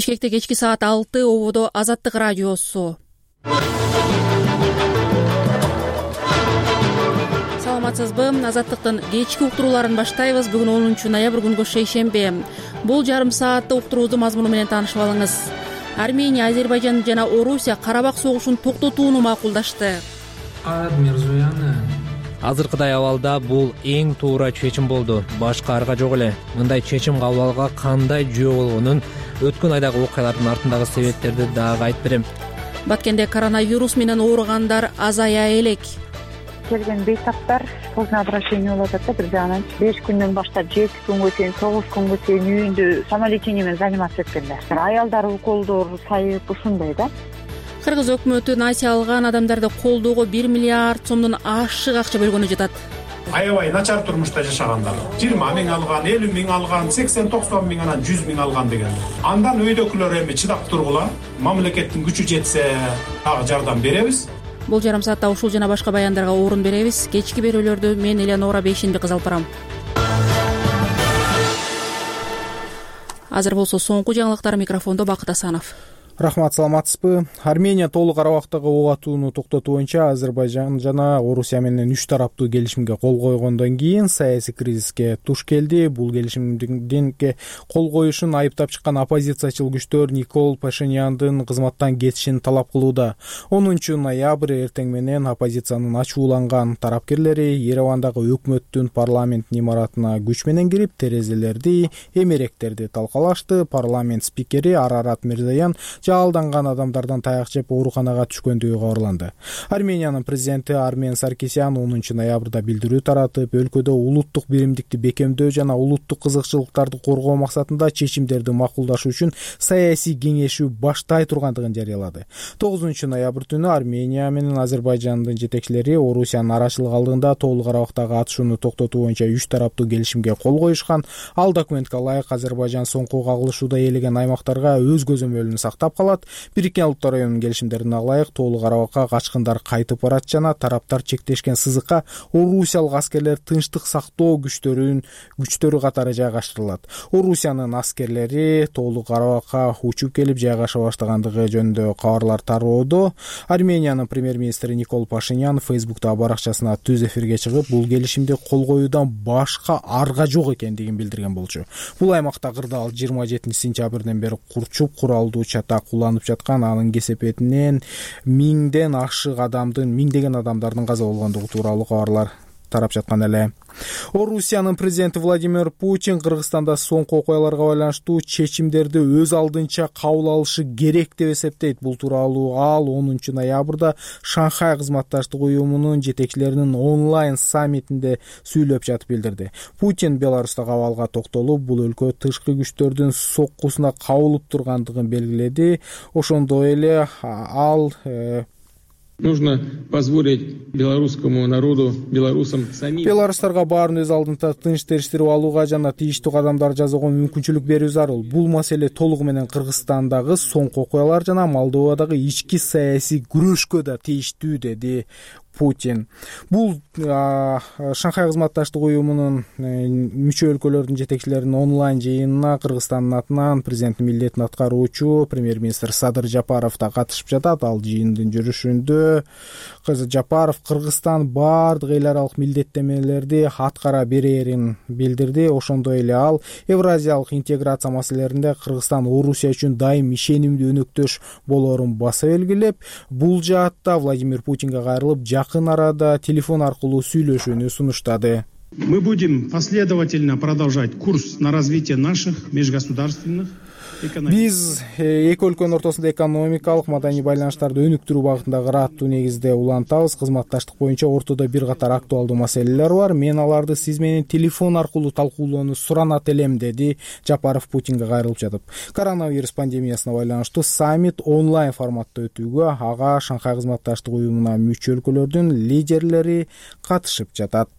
Бишкекте кечки саат 6 ободо Азаттык радиосу. Саламатсызбы? Азаттыктын кечки уктурууларын баштайбыз. Бүгүн 10 ноябрь күнгө шейшембе. Бул жарым саатта уктуруубуздун мазмуну менен таанышып алыңыз. Армения, Азербайжан жана Орусия Карабак согушун токтотууну макулдашты. Азыркыдай абалда бул эң туура чечим болду. Башка арга жок эле. Мындай чечим кабыл алууга кандай жөө болгонун өткөн айдагы окуялардын артындагы себептерди дагы айтып берем. Баткенде коронавирус менен ооругандар азая элек. Келген бейтаптар поздно обращение болуп атат да, бир жагынан 5 күндөн баштап 7 күнгө чейин, 9 күнгө чейин үйүндө самолечение менен заниматься эткенде. Аялдар уколдор сайып ушундай да. Кыргыз өкмөтү насия алган адамдарды колдоого 1 миллиард сомдон ашык акча бөлгөнү жатат. Аябай начар турмушта жашагандар 20 миң алган, 50 миң алган, 80-90 миң анан 100 миң алган деген. Андан өйдөкүлөр эми чыдап тургула, мамлекеттин күчү жетсе дагы жардам беребиз. Бул жарым саатта ушул жана башка баяндарга орун беребиз. Кечки берүүлөрдү мен Элеонора Бейшенбек кызы алып барам. Азыр болсо соңку жаңылыктар, микрофондо Бакыт Асанов. Рахмат, саламатсызбы? Армения толук Карабактагы ок атууну токтотуу боюнча Азербайжан жана Орусия менен 3 тараптуу келишимге кол койгондон кийин саясий кризиске туш келди. Бул келишимге кол коюшун айыптап чыккан оппозициячыл күчтөр Никол Пашиняндын кызматтан кетишин талап кылууда. 10 ноябрь эртең менен оппозициянын ачууланган тарапкерлери Еревандагы өкмөттүн парламенттин имаратына күч менен кирип, терезелерди, эмеректерди талкалашты. Парламент спикери Арарат Мирзоян жалданган адамдардан таяк жеп ооруканага түшкөндүгү кабарланды. Армениянын президенти Армен Саркисян 10 ноябрда билдирүү таратып, өлкөдө улуттук биримдикти бекемдөө жана улуттук кызыкчылыктарды коргоо максатында чечимдерди макулдашуу үчүн саясий кеңешүү баштай тургандыгын жарыялады. 9 ноябрь түнү Армения менен Азербайжандын жетекчилери Орусиянын арачылык алдында толук Карабактагы атышууну токтотуу боюнча 3 тараптуу келишимге кол коюшкан. Ал документке ылайык Азербайжан соңку кагылышууда ээлеген аймактарга өз көзөмөлүн сактап калат. Бириккен Улуттар уюмунун келишимдерине ылайык толук Карабакка качкындар кайтып барат жана тараптар чектешкен сызыкка орусиялык аскерлер тынчтык сактоо күчтөрү катары жайгаштырылат. Орусиянын аскерлери толук Карабакка учуп келип жайгаша баштагандыгы жөнүндө кабарлар тароодо. Армениянын премьер-министри Никол Пашинян Фейсбуктагы баракчасына түз эфирге чыгып, бул келишимди кол коюудан башка арга жок экендигин билдирген болчу. Бул аймакта кырдаал 27 сентябрден бери курчуп куралдуу чатак кулланып жаткан, анын кесепетинен миңдеген адамдардын каза болгондугу тууралуу кабарлар тарап жаткан эле. Орусиянын президенти Владимир Путин Кыргызстанда соңку окуяларга байланыштуу чечимдерди өз алдынча кабыл алышы керек деп эсептейт. Бул тууралуу ал 10 ноябрда Шанхай кызматташтык уюмунун жетекчилеринин онлайн саммитинде сүйлөп жатып билдирди. Путин Беларустагы абалга токтолуп, бул өлкө тышкы күчтөрдүн соккусуна кабылып тургандыгын белгиледи. Ошондой эле ал Нужно позволить белорусскому народу, белорусам самим. Беларустарга баарын өз алдында тынч териштирип алууга жана тийиштүү кадамдар жасоого мүмкүнчүлүк берүү зарыл. Бул маселе толугу менен Кыргызстандагы соңку окуялар жана Молдовадагы ички саясий күрөшкө да тийиштүү, деди Путин. Бул Шанхай кызматташтык уюмунун мүчө өлкөлөрдүн жетекчилеринин онлайн жыйынына Кыргызстандын атынан президенттин милдетин аткаруучу премьер-министр Садыр Жапаров да катышып жатат. Ал жыйындын жүрүшүндө Жапаров Кыргызстан бардык эл аралык милдеттенмелерди аткара берерин билдирди. Ошондой эле ал евразиялык интеграция маселелеринде Кыргызстан Орусия үчүн дайым ишенимдүү өнөктөш болорун баса белгилеп, бул жаатта Владимир Путинге кайрылып жакын арада телефон аркылуу сүйлөшүүнү сунуштады. Мы будем последовательно продолжать курс на развитие наших межгосударственных Биз эки өлкөнүн ортосунда экономикалык, маданий байланыштарды өнүктүрүү багытындагы ыраттуу негизде улантабыз. Кызматташтык боюнча ортодо бир катар актуалдуу маселелер бар. Мен аларды сиз менен телефон аркылуу талкуулоону суранат элем, деди Жапаров Путинге кайрылып жатып. Коронавирус пандемиясына байланыштуу саммит онлайн форматта өтүүгө ага Шанхай кызматташтык уюмуна мүчө өлкөлөрдүн лидерлери катышып жатат.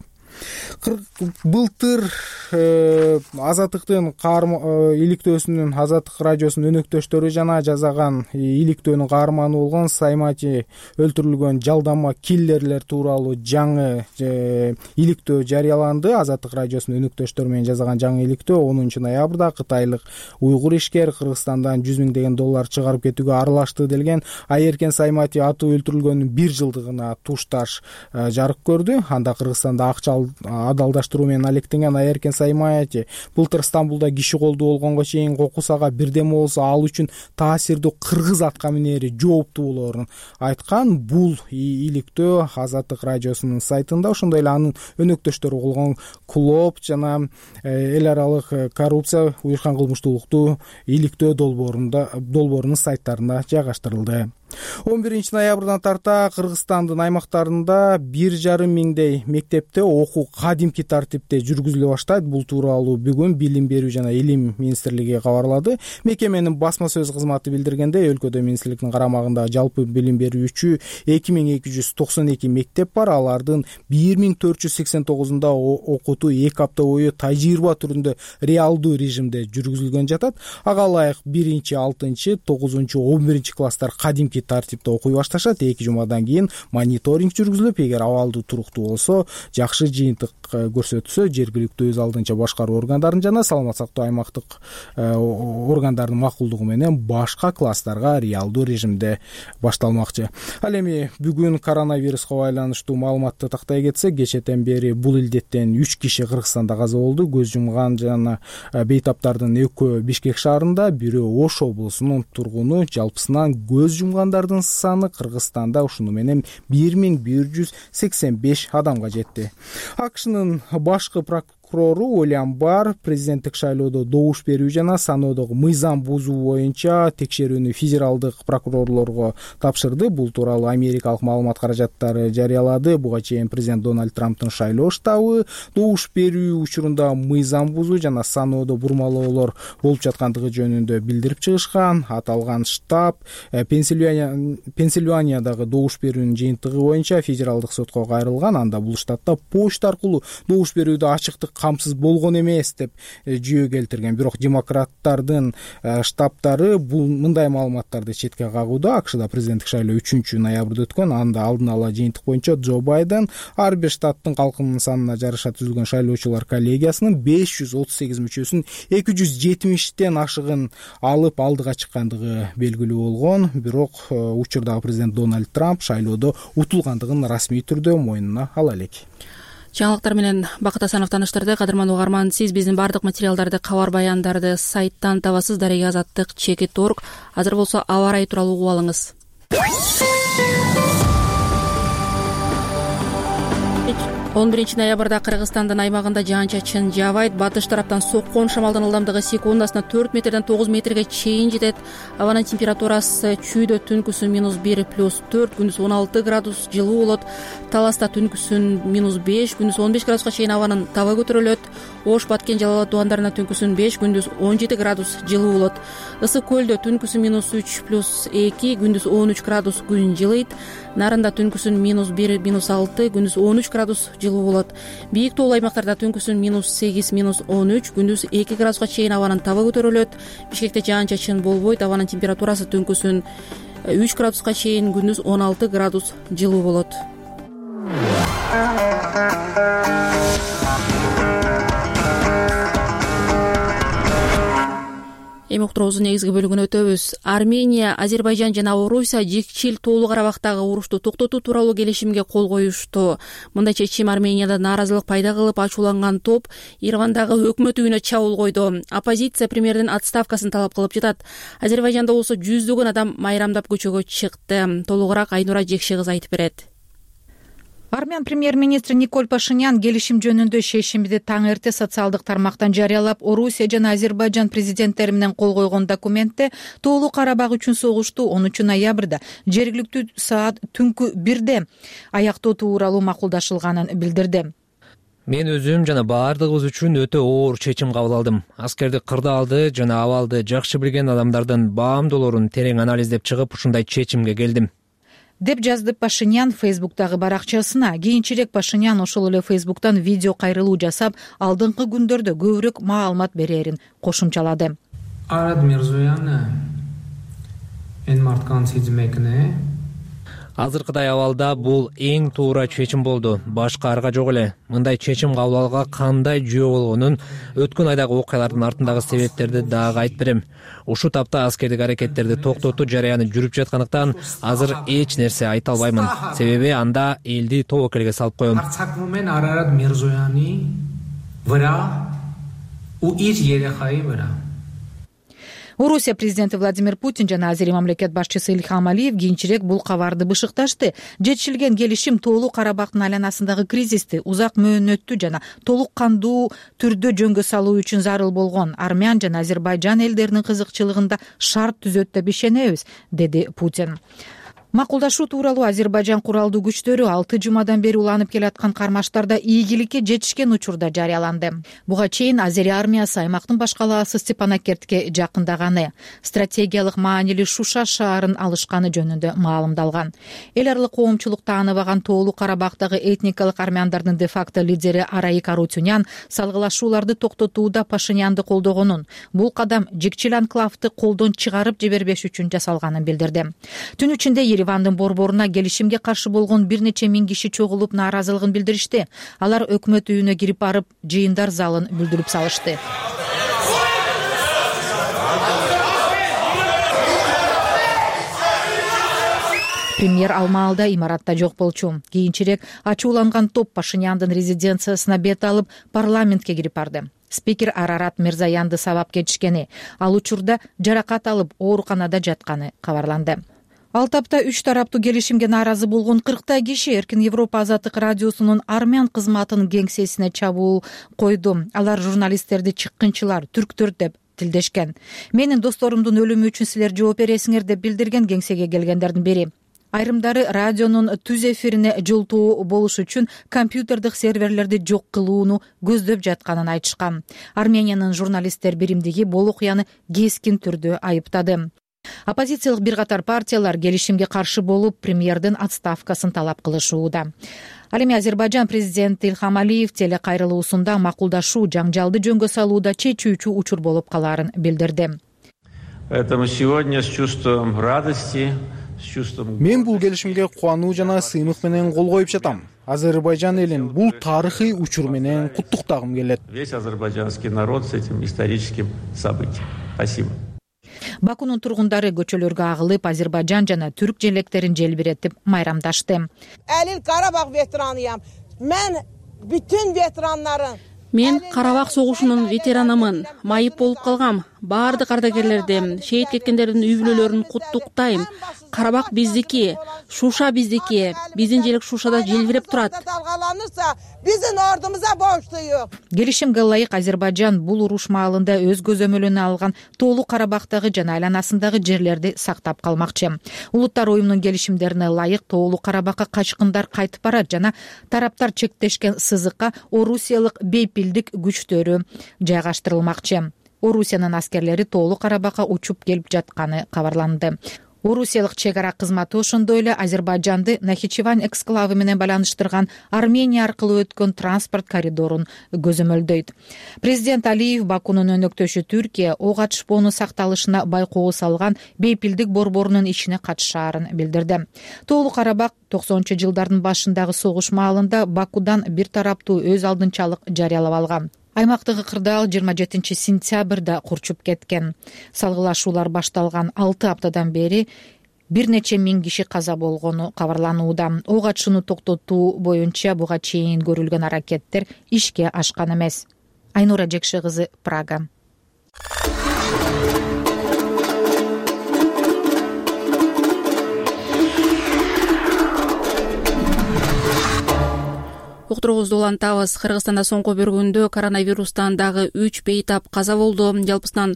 Былтыр Азаттыктын иликтөөсүнүн Азаттык радиосунун өнөктөштөрү жана жасаган иликтөөнүн каарманы болгон Саймати өлтүрүлгөн жалдама киллерлер тууралуу жаңы иликтөө жарыяланды. Азаттык радиосунун өнөктөштөрү менен жасаган жаңы иликтөө 10 ноябрда кытайлык уйгур ишкер Кыргызстандан 100 000 деген доллар чыгарып кетүүгө аралашты делген. Айеркен Саймати аты өлтүрүлгөнүнүн 1 жылдыгына тушташ жарык көрдү. Анда Кыргызстанда акча адалдаштыруу менен алектенген Айеркен Саймати былтыр Стамбулда киши колдуу болгонго чейин кокусага бирдеме болсо ал үчүн таасирдүү кыргыз атка минери жооптуу болоорун айткан. Бул иликтөө Азаттык радиосунун сайтында, ошондой эле анын өнөктөштөрү болгон Клоп жана эл аралык коррупция уюшкан кылмыштуулукту иликтөө долбоорунун сайттарына жайгаштырылды. 11 ноябрдан тарта Кыргызстандын аймактарында 1,5 миңдей мектепте окуу кадимки тартипте жүргүзүлө баштайт. Бул тууралуу бүгүн Билим берүү жана Илим министрлиги кабарлады. Мекеменин басма сөз кызматы билдиргендей, өлкөдө министрликтин карамагында жалпы билим берүүчү 2292 мектеп бар. Алардын 1489-унда окутуу 2 апта бою тажрыйба түрүндө реалдуу режимде жүргүзүлгөн жатат. Ага ылайык 1, 6, 9, 11 класстар кадимки тартипте окуй башташат. 2 жумадан кийин мониторинг жүргүзүлүп, эгер абалдуу туруктуу болсо, жакшы жыйынтык көрсөтсө, жергиликтүү өз алдынча башкаруу органдарын жана саламат сактоо аймактык органдардын макулдугу менен башка класстарга реалдуу режимде башталмакчы. Ал эми бүгүн коронавируска байланыштуу маалыматты тактай кетсек, кечэтен бери бул илдеттен 3 киши Кыргызстанда каза болду. Көз жумган жана бейтаптардын экөө Бишкек шаарында, бирөө Ош облусунун тургуну. Жалпысынан көз жумгандардын саны Кыргызстанда ушуну менен 1185 адамга жетти. АКШнын башкы прокурору Уильям Барр президенттик шайлоодо добуш берүү жана саноодогу мыйзам бузуу боюнча текшерүүнү федералдык прокурорлорго тапшырды. Бул тууралуу америкалык маалымат каражаттары жарыялады. Буга чейин президент Дональд Трамптын шайлоо штабы добуш берүү учурунда мыйзам бузуу жана саноодо бурмалоолор болуп жаткандыгы жөнүндө билдирип чыгышкан. Аталган штаб Пенсильваниядагы добуш берүүнүн жыйынтыгы боюнча федералдык сотко кайрылган. Анда бул штатта почта аркылуу добуш берүүдө ачыктык камсыз болгон эмес деп жүйө келтирген. Бирок демократтардын штабтары бул мындай маалыматтарды четке кагууда. АКШда президенттик шайлоо 3 ноябрда өткөн. Анда алдын ала жыйынтык боюнча Джо Байден ар бир штаттын калкынын санына жараша түзүлгөн шайлоочулар коллегиясынын 538 мүчөсүн 270тен ашыгын алып алдыга чыккандыгы белгилүү болгон. Бирок учурдагы президент Дональд Трамп шайлоодо утулгандыгын расмий түрдө мойнуна ала элек. Жаңылыктар менен Бакыт Асанов тааныштырды. Кадырман угарман, сиз биздин бардык материалдарды, кабар баяндарды сайттан табасыз. Дарега Азаттык /org. Азыр болсо аба ырайы тууралуу угуп алыңыз. 11 ноябрда Кыргызстандын аймагында жаан-чачын жаабайт. Батыш тараптан соккон шамалдын ылдамдыгы секундасына 4 метрден 9 метрге чейин жетет. Абанын температурасы чүйдө түнкүсүн -1 +4, күндүз 16 градус жылуу болот. Таласта түнкүсүн -5, күндүз 15 градуска чейин абанын табы көтөрүлөт. Ош, Баткен, Жалал абад тубандарына түнкүсүн 5, күндүз 17 градус жылуу болот. Ысык көлдө түнкүсүн -3 +2, күндүз 13 градус күн жылыйт. Нарында түнкүсүн -1 -6, күндүз 13 градус жылуу болот. Бийик тоолуу аймактарда түнкүсүн -8 -13, күндүз 2 градуска чейин абанын табы көтөрүлөт. Бишкекте жаан-чачын болбойт. Абанын температурасы түнкүсүн 3 градуска чейин, күндүз 16 градус жылуу болот. Эми уктуруубуздун негизги бөлүгүнө өтөбүз. Армения, Азербайжан жана Орусия Жикчил тоолуу Карабактагы урушту токтотуу тууралуу келишимге кол коюшту. Мындай чечим Арменияда нааразылык пайда кылып, ачууланган топ Еревандагы өкмөт үйүнө чабуул койду. Оппозиция премьердин отставкасын талап кылып жатат. Азербайжанда болсо жүздөгөн адам майрамдап көчөгө чыкты. Толугураак Айнура Жекши кызы айтып берет. Армян премьер-министри Николь Пашинян келишим жөнүндө шешимди таң эрте социалдык тармактан жарыялап, Орусия жана Азербайжан президенттери менен кол койгон документте тоолуу Карабак үчүн согушту 10 ноябрда жергиликтүү саат түнкү 1де аяктоо тууралуу макулдашылганын билдирди. Мен өзүм жана баардыгыбыз үчүн өтө оор чечим кабыл алдым. Аскерди кырдаалды жана абалды жакшы билген адамдардын баамдоолорун терең анализдеп чыгып, ушундай чечимге келдим. деп жазды Пашинян Фейсбуктагы баракчасына. Кийинчерээк Пашинян ошол эле Фейсбуктан видео кайрылуу жасап, алдыңкы күндөрдө көбүрөөк маалымат берерин кошумчалады. Арат Мирзоян Азыркыдай абалда бул эң туура чечим болду. Башка арга жок эле. Мындай чечим кабыл алууга кандай жөө болгонун өткөн айдагы окуялардын артындагы себептерди дагы айтып берем. Ушул тапта аскердик аракеттерди токтотуу жараяны жүрүп жаткандыктан азыр эч нерсе айта албаймын. Себеби анда элди тобокелге салып коем. Арат Мирзояны Орусия президенти Владимир Путин жана Азерия мамлекет башчысы Ильхам Алиев кийинчерээк бул кабарды бышыкташты. Жетишилген келишим Тоолуу Карабактын айланасындагы кризисти узак мөөнөттүү жана толук кандуу түрдө жөнгө салуу үчүн зарыл болгон Армян жана Азербайжан элдеринин кызыкчылыгында шарт түзөт деп ишенебиз, деди Путин. Макулдашуу тууралуу Азербайжан куралдуу күчтөрү 6 жумадан бери уланып келаткан кармаштарда ийгиликке жетишкен учурда жарыяланды. Буга чейин Азерия армиясы аймактын баш калаасы Степанакертке жакындаганы, стратегиялык маанилүү Шуша шаарын алышканы жөнүндө маалымдалган. Эл аралык коомчулук тааныбаган Тоолуу Карабактагы этникалык армяндардын де-факто лидери Араик Арутюнян салгылашууларды токтотууда Пашинянды колдогонун, бул кадам жикчил анклавды колдон чыгарып жибербеш үчүн жасалганын билдирди. Түн ичинде Еревандын борборуна келишимге каршы болгон бир нече миң киши чогулуп нааразылыгын билдиришти. Алар өкмөт үйүнө кирип барып, жыйындар залын бүлдүрүп салышты. Премьер ал маалда имаратта жок болчу. Кийинчерээк ачууланган топ Пашиняндын резиденциясына бет алып, парламентке кирип барды. Спикер Арарат Мирзоянды сабап кетишкени, ал учурда жаракат алып ооруканада жатканы кабарланды. Ал тапта 3 тараптуу келишимге нааразы болгон 40 киши Эркин Европа Азаттык радиосунун армян кызматынын кеңсесине чабуул койду. Алар журналисттерди чыккынчылар, түрктөр деп тилдешкен. Менин досторумдун өлүмү үчүн силер жооп бересиңер деп билдирген кеңсеге келгендердин бири. Айрымдары радионун түз эфирине жолтоо болуш үчүн компьютердик серверлерди жок кылууну көздөп жатканын айтышкан. Армениянын журналисттер биримдиги бул окуяны кескин түрдө айыптады. Оппозициялык бир катар партиялар келишимге каршы болуп, премьердин отставкасын талап кылышууда. Ал эми Азербайжан президенти Ильхам Алиев телекайрылуусунда макулдашуу жаңжалды жөнгө салууда чечүүчү учур болуп калаарын билдирди. Поэтому сегодня с чувством радости, с чувством... Мен бул келишимге кубануу жана сыймык менен кол коюп жатам. Азербайжан элин бул тарыхый учур менен куттуктагым келет. Весь азербайджанский народ с этим историческим событием. Спасибо. Бакунун тургундары көчөлөргө агылып, Азербайжан жана түрк желектерин желбиретип майрамдашты. Элил Карабак ветеранıyam. Мен бүтүн ветераннарын Мен Карабак согушунун ветеранымын. Майып болуп калгам. Баардык ардагерлерди, шейит кеткендердин үй бүлөлөрүн куттуктайм. Карабак биздики, Шуша биздики. Биздин желек Шушада желбиреп турат. Биздин ордумузга борчтуюк. Келишимге ылайык Азербайжан бул уруш маалында өз көзөмөлүнө алган Тоолуу Карабактагы жана айланасындагы жерлерди сактап калмакчы. Улуттар уюмунун келишимдерине ылайык Тоолуу Карабакка качкындар кайтып барат жана тараптар чектешкен сызыкка орусиялык бейпилдик күчтөрү жайгаштырылмакчы. Орусиянын аскерлери Тоолуу Карабакка учуп келип жатканы кабарланды. Орусиялык чек ара кызматы ошондой эле Азербайжанды Нахичевань эксклавы менен байланыштырган Армения аркылуу өткөн транспорт коридорун көзөмөлдөйт. Президент Алиев Бакунун өнөктөшү Түркия ок атышпоонун сакталышына байкоо салган бейпилдик борборунун ишине катышаарын билдирди. Тоолуу Карабак 90-жылдардын башындагы согуш маалында Бакудан бир тараптуу өз алдынчалык жарыялап алган. Аймактагы кырдаал 27 сентябрда курчуп кеткен. Салгылашуулар башталган 6 аптадан бери бир нече миң киши каза болгону кабарланууда. Ок атышууну токтотуу боюнча буга чейин көрүлгөн аракеттер ишке ашкан эмес. Айнура Жекши кызы, Прага. Уктуруубузду улантабыз. Кыргызстанда соңку бир күндө коронавирустан дагы 3 бейтап каза болду. Жалпысынан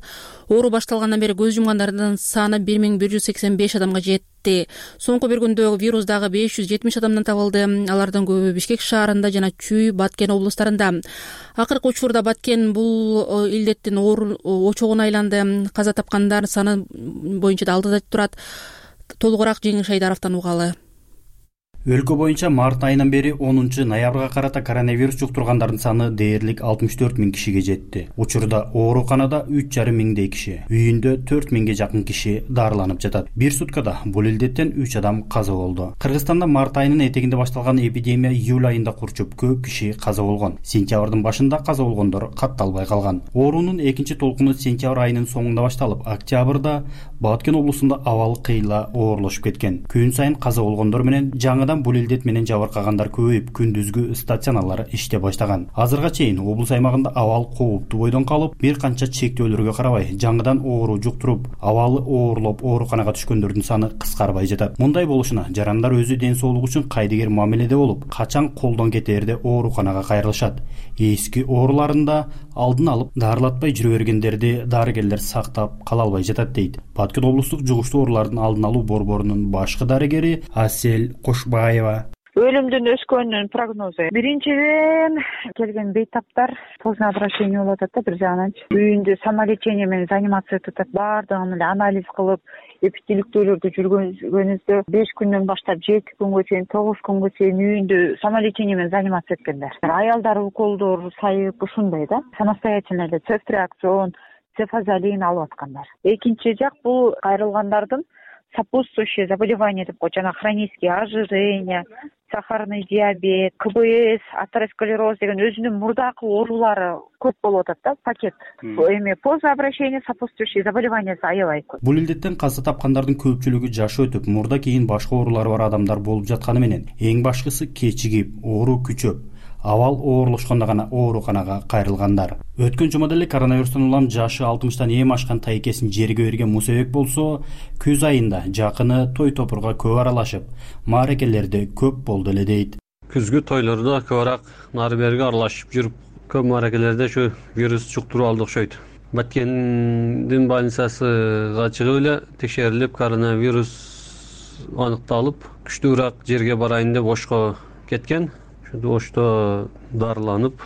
оору башталгандан бери көз жумгандардын саны 1185 адамга жетти. Соңку бир күндө вирус дагы 570 адамдан табылды. Алардын көбү Бишкек шаарында жана Чүй, Баткен облустарында. Акыркы учурда Баткен бул илдеттин очогуна айланды. Каза тапкандар саны боюнча да алдыда турат. Толугураак Жеңиш Айдаровдон угалы. Өлкө боюнча март айынан бери 10 ноябрга карата коронавирус жуктургандардын саны дээрлик 64 000 кишиге жетти. Учурда ооруканада 3,5 миңдей киши, үйүндө 4 000ге жакын киши дарыланып жатат. Бир суткада бул илдеттен 3 адам каза болду. Кыргызстанда март айынын этегинде башталган эпидемия июль айында курчуп, көп киши каза болгон. Сентябрдын башында каза болгондор катталбай калган. Оорунун экинчи толкуну сентябрь айынын соңунда башталып, октябрда Баткен облусунда абал кыйла оорлошуп кеткен. Күн сайын каза болгондор менен жаңыдан бул илдет менен жабыркагандар көбөйүп, күндүзгү стационарлар иштей баштаган. Азырга чейин облус аймагында абал кооптуу бойдон калып, бир канча чектөөлөргө карабай, жаңыдан оору жуктуруп, абалы оорлоп ооруканага түшкөндөрдүн саны кыскарбай жатат. Мындай болушуна жарандар өзү ден соолугу үчүн кайдыгер мамиледе болуп, качан колдон кетээрде ооруканага кайрылышат. Эски ооруларында алдын алып, дарылатпай жүрө бергендерди дарыгерлер сактап кала албай жатат дейт. Баткен облустук жугуштуу оорулардын алдын алуу борборунун башкы дарыгери Асель Кошбаева. Өлүмдүн өскөнүнүн прогнозу. Биринчиден келген бейтаптар поздно обращение болуп атат да, бир жагынан үйүндө самолечение менен заниматься этип атат. Баардыгын эле анализ кылып, эпителиктөөлөрдү жүргөнүздө 5 күндөн баштап 2 күнгө чейин, 9 күнгө чейин үйүндө самолечение менен заниматься эткендер. Аялдар уколдор сайып ушундай да, самостоятельно эле цефтриаксон, цефазолин алып аткандар. Экинчи жак бул кайрылгандардын сопутствующие заболевания деп коет, жана хронические ожирение, сахарный диабет, КБС, атеросклероз деген өзүнүн мурдакы оорулары көп болуп атат да, пакет. Эми поздно обращение, сопутствующие заболевания аябай көп. Бул илдеттен каза тапкандардын көпчүлүгү жаш өтүп, мурда кийин башка оорулары бар адамдар болуп жатканы менен, эң башкысы кечигип, оору күчөп, абал оорлошкондо гана ооруканага кайрылгандар. Өткөн жумада эле коронавирустан улам жашы 60тан эм ашкан тайкесин жерге берген Мусабек болсо, күз айында жакыны той топурга көп аралашып, мааракелерде көп болду эле дейт. Күзгү тойлордо көбүрөөк нары берге аралашып жүрүп, көп мааракелерде ушу вирус жуктуруп алды окшойт. Баткендин больницасыга чыгып эле текшерилип, коронавирус аныкталып, күчтүүрөөк жерге барайын деп Ошко кеткен. Ошто дарыланып,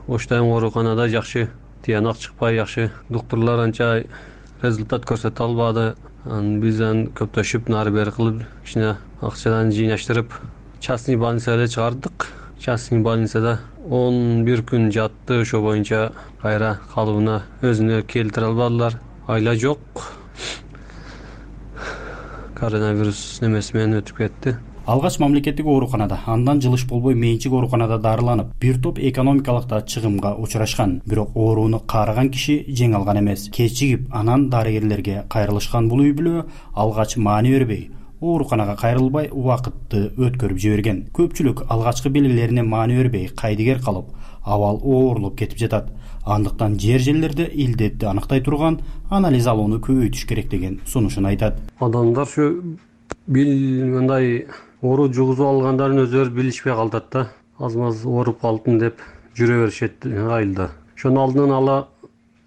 Оштан ооруканада жакшы тыянак чыкпай, жакшы доктурлар анча результат көрсөтө албады. Бизден көптөшүп, нары бери кылып, кичине акчадан жыйнаштырып, частный больницага чыгардык. Частный больницада 11 күн жатты, ошо боюнча кайра калыбына өзүнө келтире албадылар. Айла жок. Коронавирус немеси менен өтүп кетти. Алгач мамлекеттик ооруканада, андан жылыш болбой менчик ооруканада дарыланып, бир топ экономикалык да чыгымга учурашкан. Бирок ооруну каарыган киши жеңе алган эмес. Кечигип, анан дарыгерлерге кайрылышкан бул үй бүлө алгач маани бербей, ооруканага кайрылбай убакытты өткөрүп жиберген. Көпчүлүк алгачкы белгилерине маани бербей, кайдыгер калып, абал оорлоп кетип жатат. Андыктан жер-жерлерде илдетти аныктай турган анализ алууну көбөйтүш керек деген сунушун айтат. Адамдар ушу мындай оору жугузуп алгандарын өзүлөрү билишпей калат да. Аз-маз ооруп калдым деп жүрө беришет айылда. Ошону алдын ала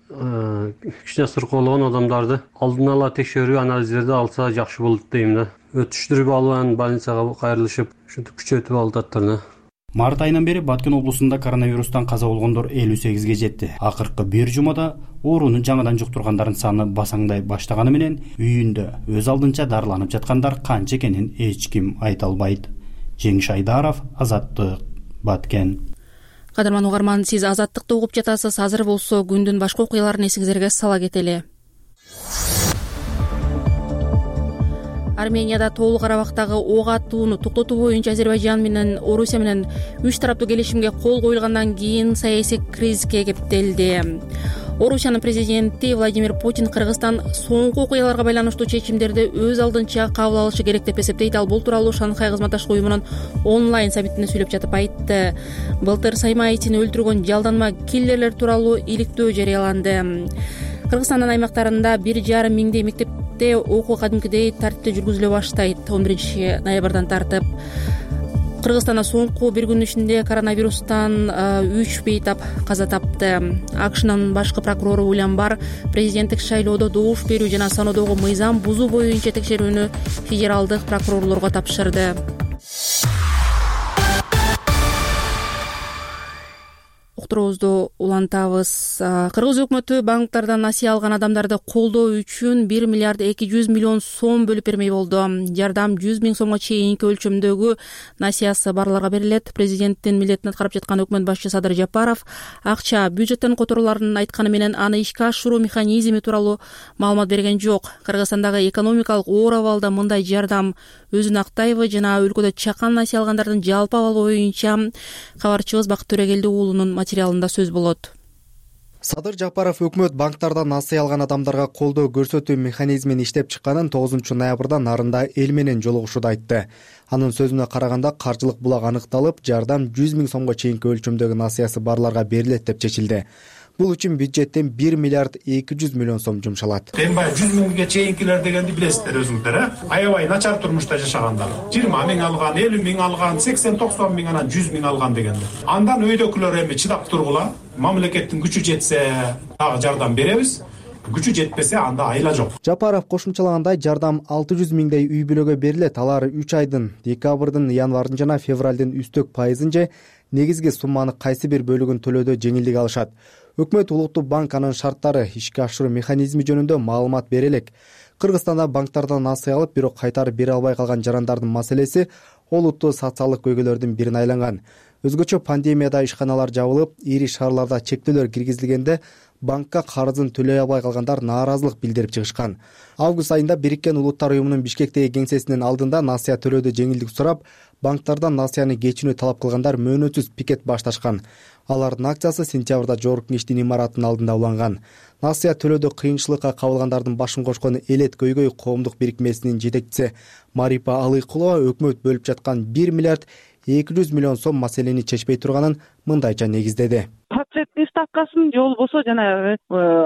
кичине сыркоологон адамдарды алдын ала текшерүү анализдерди алса жакшы болот дейм да. Өтүштүрүп алган больницага кайрылышып, ушинтип күчөтүп алып. Март айынан бери Баткен облусунда коронавирустан каза болгондор 58ге жетти. Акыркы бир жумада ооруну жаңыдан жуктургандардын саны басаңдай баштаганы менен үйүндө өз алдынча дарыланып жаткандар канча экенин эч ким айта албайт. Жеңиш Айдаров, Азаттык, Баткен. Кадырман угарман, сиз Азаттыкты угуп жатасыз. Азыр болсо күндүн башка окуяларын эсиңиздерге сала кетели. Арменияда Тоолуу Карабактагы ок атууну токтотуу боюнча Азербайжан менен Орусия менен 3 тараптуу келишимге кол коюлгандан кийин саясий кризиске кептелди. Орусиянын президенти Владимир Путин Кыргызстан соңку окуяларга байланыштуу чечимдерди өз алдынча кабыл алышы керек деп эсептейт. Ал бул тууралуу Шанхай кызматташтык уюмунун онлайн саммитинде сүйлөп жатып айтты. Былтыр Саймаитини өлтүргөн жалданма киллерлер тууралуу иликтөө жарыяланды. Кыргызстандын аймактарында 1,5 миңдей мектепте окуу кадимкидей тартипте жүргүзүлө баштайт. 11 ноябрдан тартып Кыргызстанда соңку бир күн ичинде коронавирустан 3 бейтап каза тапты. АКШнын башкы прокурору Уильям Барр президенттик шайлоодо добуш берүү жана саноодогу мыйзам бузуу боюнча текшерүүнү федералдык прокурорлорго тапшырды. уктуруубузду улантабыз. Кыргыз өкмөтү банктардан насыя алган адамдарды колдоо үчүн 1 миллиард 200 миллион сом бөлүп бермей болду. Жардам 100 миң сомго чейинки өлчөмдөгү насыясы барларга берилет. Президенттин милдетин аткарып жаткан өкмөт башчы Садыр Жапаров акча бюджеттен которуларын айтканы менен аны ишке ашыруу механизми тууралуу маалымат берген жок. Кыргызстандагы экономикалык оор абалда мындай жардам өзүн актайбы жана өлкөдө чакан насыя алгандардын жалпы абалы боюнча кабарчыбыз Бакыт Төрөгелди уулунун материалында сөз болот. Садыр Жапаров өкмөт банктардан насыя алган адамдарга колдоо көрсөтүү механизмин иштеп чыкканын 9 ноябрда Нарында эл менен жолугушууда айтты. Анын сөзүнө караганда каржылык булак аныкталып, жардам 100 миң сомго чейинки өлчөмдөгү насыясы барларга берилет деп чечилди. Бул үчүн бюджеттен 1 миллиард 200 миллион сом жумшалат. Эми баягы 100 миңге чейинкилер дегенди билесиздер өзүңүздөр, аябай начар турмушта жашагандар. 20 миң алган, 50 миң алган, 80-90 миң анан 100 миң алган дегендер. Андан өйдөкүлөр эми чыдап тургула, мамлекеттин күчү жетсе дагы жардам беребиз. Күчү жетпесе анда айла жок. Жапаров кошумчалагандай, жардам 600 миңдей үй бүлөгө берилет. Алар 3 айдын, декабрдын, январдын жана февралдын үстөк пайызын же негизги сумманы кайсы бир бөлүгүн төлөөдө жеңилдик алышат. Өкмөт Улуттук банк анын шарттары, ишке ашыруу механизми жөнүндө маалымат бере элек. Кыргызстанда банктардан насыя алып, бирок кайтарып бере албай калган жарандардын маселеси олуттуу социалдык көйгөйлөрдүн бирине айланган. Өзгөчө пандемияда ишканалар жабылып, ири шаарларда чектөөлөр киргизилгенде банкка карызын төлөй албай калгандар нааразылык билдирип чыгышкан. Август айында Бириккен Улуттар уюмунун Бишкектеги кеңсесинин алдында насыя төлөөдө жеңилдик сурап, банктардан насыяны кечүүнү талап кылгандар мөөнөтсүз пикет башташкан. Алардын акциясы сентябрда Жогорку Кеңештин имаратынын алдында уланган. Насыя төлөөдө кыйынчылыкка кабылгандардын башын кошкон Элет көйгөй коомдук бирикмесинин жетекчиси Марипа Алыкулова өкмөт бөлүп жаткан 1 миллиард 200 миллион сом маселени чечпей турганын мындайча негиздеди. Проценттин ставкасын же болбосо жана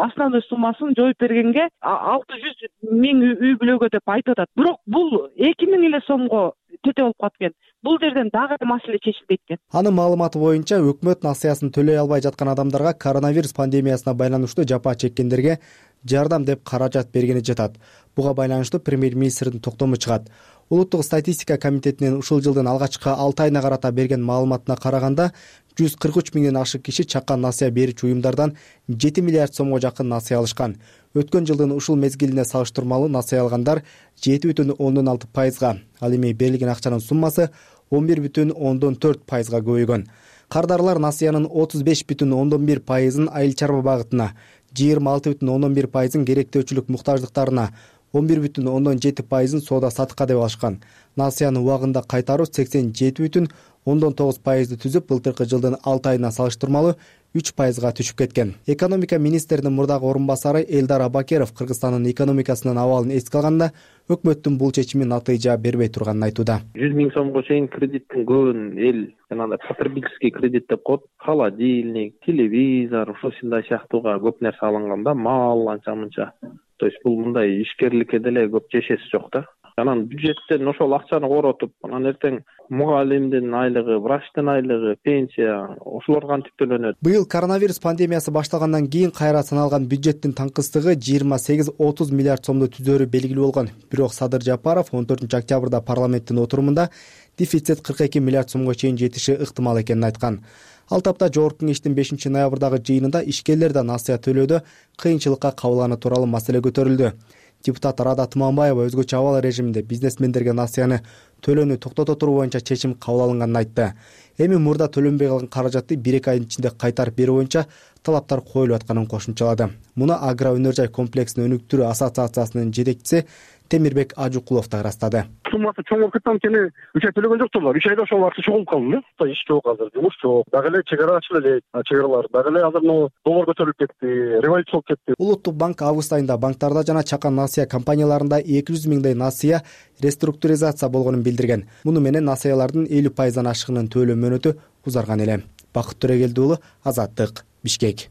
основной суммасын жоюп бергенге 600 миң үй бүлөгө деп айтып атат. Бирок бул 2 миң эле сомго тете болуп калат экен. Бул жерден дагы маселе чечилбейт экен. Анын маалыматы боюнча өкмөт насыясын төлөй албай жаткан адамдарга коронавирус пандемиясына байланыштуу жапа чеккендерге жардам деп каражат бергени жатат. Буга байланыштуу премьер-министрдин токтому чыгат. Улуттук статистика комитетинин ушул жылдын алгачкы 6 айына карата берген маалыматына караганда 143 миңден ашык киши чакан насыя берүүчү уюмдардан 7 миллиард сомго жакын насыя алышкан. Өткөн жылдын ушул мезгилине салыштырмалуу насыя алгандар 7,6%, ал эми берилген акчанын суммасы 11,4%га көбөйгөн. Кардарлар насыянын 35,1%ын айыл чарба багытына, 26,1%ын керектөөчүлүк муктаждыктарына, 11,7%ын соода сатыкка деп алышкан. Насыяны убагында кайтаруу 87,9%ды түзүп, былтыркы жылдын 6 айына салыштырмалуу 3%га түшүп кеткен. Экономика министринин мурдагы орун басары Элдар Абакеров Кыргызстандын экономикасынын абалын эске алганда өкмөттүн бул чечими натыйжа бербей турганын айтууда. 100 миң сомго чейин кредиттин көбүн эл жанагындай потребительский кредит деп коет. Холодильник, телевизор, ушундай сыяктууга көп нерсе алынганда, мал анча мынча. То есть бул мындай ишкерликке деле көп жешеси жок да. Анан бюджеттен ошол акчаны коротуп, анан эртең мугалимдин айлыгы, врачтын айлыгы, пенсия ошолор кантип төлөнөт? Быйыл коронавирус пандемиясы башталгандан кийин кайра саналган бюджеттин таңкыстыгы 28-30 миллиард сомду түзөрү белгилүү болгон. Бирок Садыр Жапаров 14 октябрда парламенттин отурумунда дефицит 42 миллиард сомго чейин жетиши ыктымал экенин айткан. Ал тапта Жогорку Кеңештин 5 ноябрдагы жыйынында ишкерлер да насыя төлөөдө кыйынчылыкка кабылганы тууралуу маселе көтөрүлдү. Депутат Рада Туманбаева өзгөчө абал режиминде бизнесмендерге насыяны төлөөнү токтото туруу боюнча чечим кабыл алынганын айтты. Эми мурда төлөнбөй калган каражатты 1-2 айдын ичинде кайтарып берүү боюнча талаптар коюлуп атканын кошумчалады. Муну Агро өнөр жай комплексин өнүктүрүү ассоциациясынын жетекчиси Темирбек Ажукулов да ырастады. Суммасы чоңоп кеткен кene 3 ай төлөгөн жоктурлар. 3 айда ошол аркы чогулуп калды. Иш жок азыр, жумуш жок. Дагы эле чегара ачылып элек, чегаралар. Дагы эле азыр доллар көтөрүлүп кетти, революция болуп кетти. Улуттук банк август айында банктарда жана чакан насыя компанияларында 200 миңдей насыя реструктуризация болгонун билдирген. Муну менен насыялардын 50%дан ашыгынын төлөө мөөнөтү узарган эле. Бакыт Төрөгелди уулу, Азаттык, Бишкек.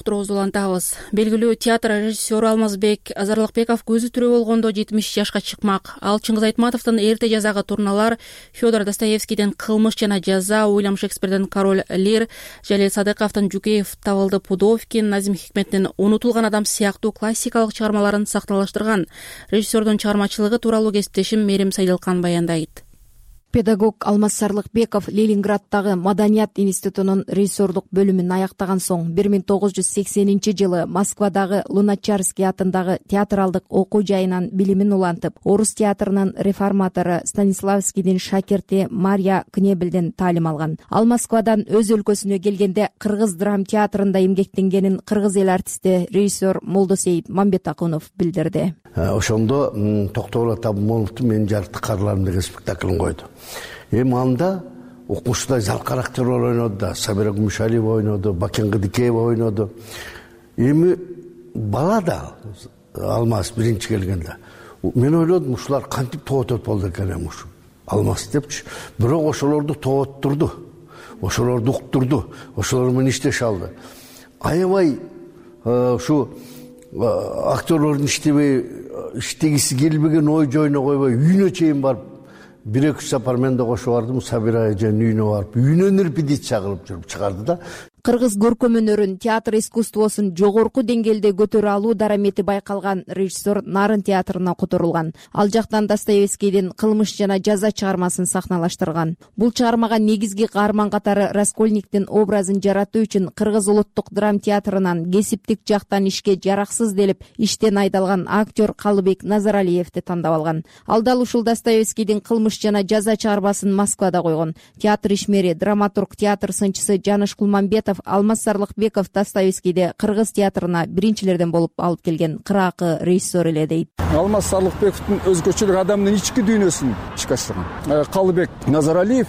Уктуруубузду улантабыз. Белгилүү театр режиссеру Алмазбек Азарлыкбеков көзү тирүү болгондо 70 жашка чыкмак. Ал Чыңгыз Айтматовдун эрте жазагы турналар, Федор Достоевскийдин Кылмыш жана жаза, Уильям Шекспирдин Король Лир, Жалел Садыковдун Жукеев табылды Пудовкин, Назим Хикметтин Унутулган адам сыяктуу классикалык чыгармаларын сакталаштырган. Режиссердун чыгармачылыгы тууралуу кесиптешим Мерим Сайдылкан баяндайт. Педагог Алмаз Сарлыкбеков Ленинградтагы Маданият институтунун режиссерлук бөлүмүн аяктаган соң 1980-жылы Москвадагы Луначарский атындагы театралдык окуу жайынан билимин улантып, орус театрынын реформатору Станиславскийдин шакирти Мария Кнебелден таалим алган. Ал Москвадан өз өлкөсүнө келгенде кыргыз драм театрында эмгектенгенин кыргыз эл артисти режиссер Молдосейит Мамбетакунов билдирди. Ошондо Токтогул Атабымоловдун Менин жарыктык карларым деген спектаклин койду. Анда окумуштудай залкар актерлор ойноду да, Сабира Гумушалиева ойноду, Бакен Кыдыкеева ойноду. Эми бала да Алмаз биринчи келгенде мен ойлодум ушулар кантип тоотот болду экен ушу Алмаз депчи. Бирок ошолорду тооттурду, ошолорду уктурду, ошолор менен иштеше алды. Аябай ушу актерлордун иштегиси келбеген ой жойуна койбой үйүнө чейин барып 1-2 сапар мен да кошуп бардым. Сабира эженин үйүнө барып үйүнөн репетиция кылып жүрүп чыгарды да. Кыргыз көркөм өнөрүн, театр искусствосун жогорку деңгээлде көтөрө алуу дарамети байкалган режиссер Нарын театрына которулган. Ал жактан Достоевскийдин Кылмыш жана жаза чыгармасын сахналаштырган. Бул чыгармага негизги каарман катары Раскольниктин образын жаратуу үчүн Кыргыз улуттук драм театрынан кесиптик жактан ишке жараксыз делип иштен айдалган актер Калыбек Назаралиевди тандап алган. Ал дал ушул Достоевскийдин Кылмыш жана жаза чыгармасын Москвада койгон. Театр ишмери, драматург, театр сынчысы Жаныш Кулманбетов Алмаз Сарлыкбеков Достоевскийди кыргыз театрына биринчилерден болуп алып келген кыраакы режиссер эле дейт. Алмаз Сарлыкбековдун өзгөчөлүк адамдын ички дүйнөсүн ишке ашырган. Калыбек Назаралиев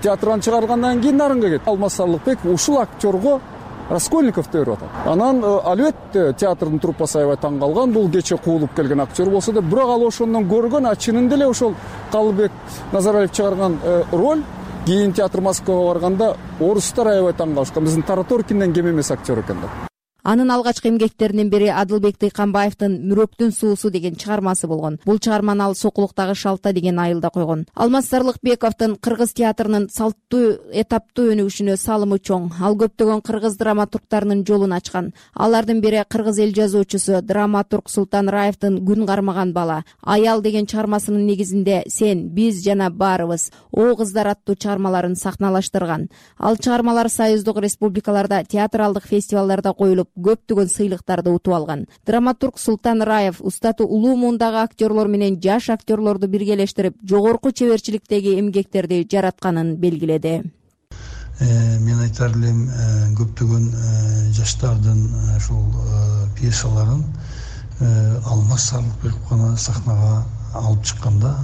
театрдан чыгаргандан кийин Нарынга кетти. Алмаз Сарлыкбеков ушул актерго Раскольниковду өрүп атат. Анан албетте театрдын труппасы аябай таң калган. Бул кече куулуп келген актер болсо да, бирок ал ошондон көргөн, чынында эле ошол Калыбек Назаралиев чыгарган роль кийин театр Москвага барганда орустар аябай таң калышкан. Биздин Тараторкинден кем эмес актер экен деп. Анын алгачкы эмгектеринин бири Адылбек Тыйканбаевдин Мүрөктүн суусу деген чыгармасы болгон. Бул чыгарманы ал Сокулуктагы шалта деген айылда койгон. Алмаз Сарлыкбековдун кыргыз театрынын салттуу, этаптуу өнүгүшүнө салымы чоң. Ал көптөгөн кыргыз драматургтарынын жолун ачкан. Алардын бири кыргыз эл жазуучусу, драматург Султан Раевдин Күн кармаган бала, Аял деген чыгармасынын негизинде Сен, биз жана баарыбыз, О кыздар аттуу чыгармаларын сахналаштырган. Ал чыгармалар союздук республикаларда театралдык фестивалдарда коюлуп көптөгөн сыйлыктарды утуп алган. Драматург Султан Раев устаты улуу муундагы актерлор менен жаш актерлорду биргелештирип, жогорку чеберчиликтеги эмгектерди жаратканын белгиледи. Мен айтар элем, көптөгөн жаштардын ушул пьесаларын Алмаз Сарлыкбеков гана сахнага алып чыкканда,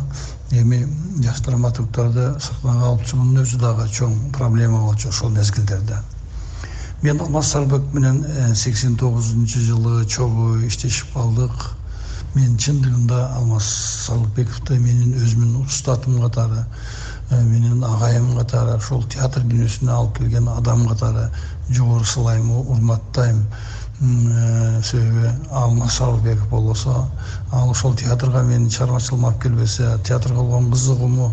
эми жаш драматургтарды сахнага алып чыгуунун өзү дагы чоң проблема болчу ошол мезгилдерде. Мен Алмаз Сарлыкбеков менен 89-жылы чогуу иштешип калдык. Мен чындыгында Алмаз Сарлыкбековду менин өзүмдүн устатым катары, менин агайым катары, ошол театр дүйнөсүнө алып келген адам катары жогору сылайм, урматтайм. Себеби Алмаз Сарлыкбеков болсо, ал ошол театрга менин чыгармачылыгыма алып келбесе, театрга болгон кызыгууму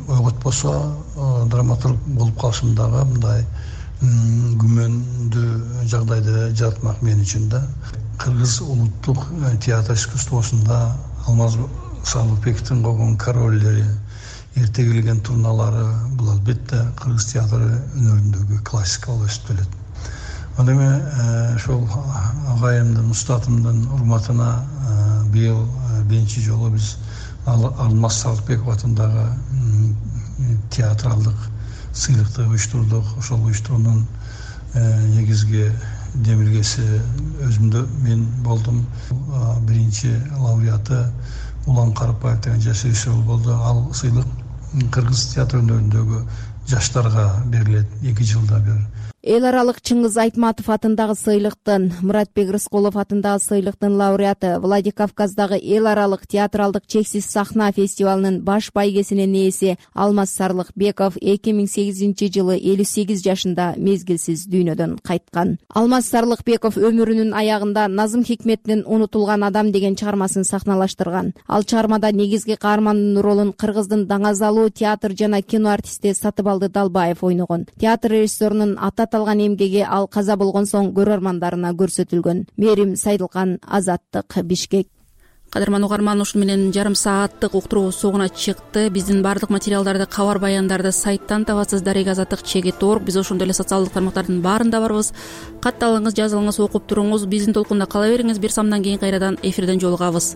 ойготпосо, драматург болуп калышым дагы мындай күмөндүү жагдайды жаратмак мен үчүн да. Кыргыз улуттук театр искусствосунда Алмаз Сарлыкбековдун койгон короллери, эрте келген турналары бул албетте кыргыз театры өнөрүндөгү классика болуп өсүп келет. Ал эми ошол агайымдын, устатымдын урматына быйыл биринчи жолу биз Алмаз Сарлыкбеков атындагы театралдык сыйлыкты уюштурдук. Ошол уюштуруунун негизги демилгеси өзүмдө мен болдум. Биринчи лауреаты Улан Карыпбаев деген жаш режиссер болду. Ал сыйлык кыргыз театр өнөрүндөгү жаштарга берилет 2 жылда бир. Эл аралык Чыңгыз Айтматов атындагы сыйлыктын, Муратбек Рыскулов атындагы сыйлыктын лауреаты, Владикавказдагы эл аралык театралдык чексиз сахна фестивалынын баш байгесинин ээси Алмаз Сарлыкбеков 2008-жылы 58 жашында мезгилсиз дүйнөдөн кайткан. Алмаз Сарлыкбеков өмүрүнүн аягында Назым Хикметтин «Унутулган адам» деген чыгармасын сахналаштырган. Ал чыгармада негизги каармандын ролун кыргыздын даңазалуу театр жана кино артисти Сатыбалды Далбаев ойногон. Театр режиссерунун аталган эмгеги ал каза болгон соң көрөрмандарына көрсөтүлгөн. Мерим Сайдылкан, Азаттык, Бишкек. Кадырман угарман, ушун менен жарым сааттык уктуруу соңуна чыкты. Биздин баардык материалдарды, кабар баяндарды сайттан табасыз. darek-azаттык.org. Биз ошондой эле социалдык тармактардын баарында барбыз. Катталыңыз, жазылыңыз, окуп туруңуз. Биздин толкунда кала бериңиз. Бир самдан кийин кайрадан эфирден жолугабыз.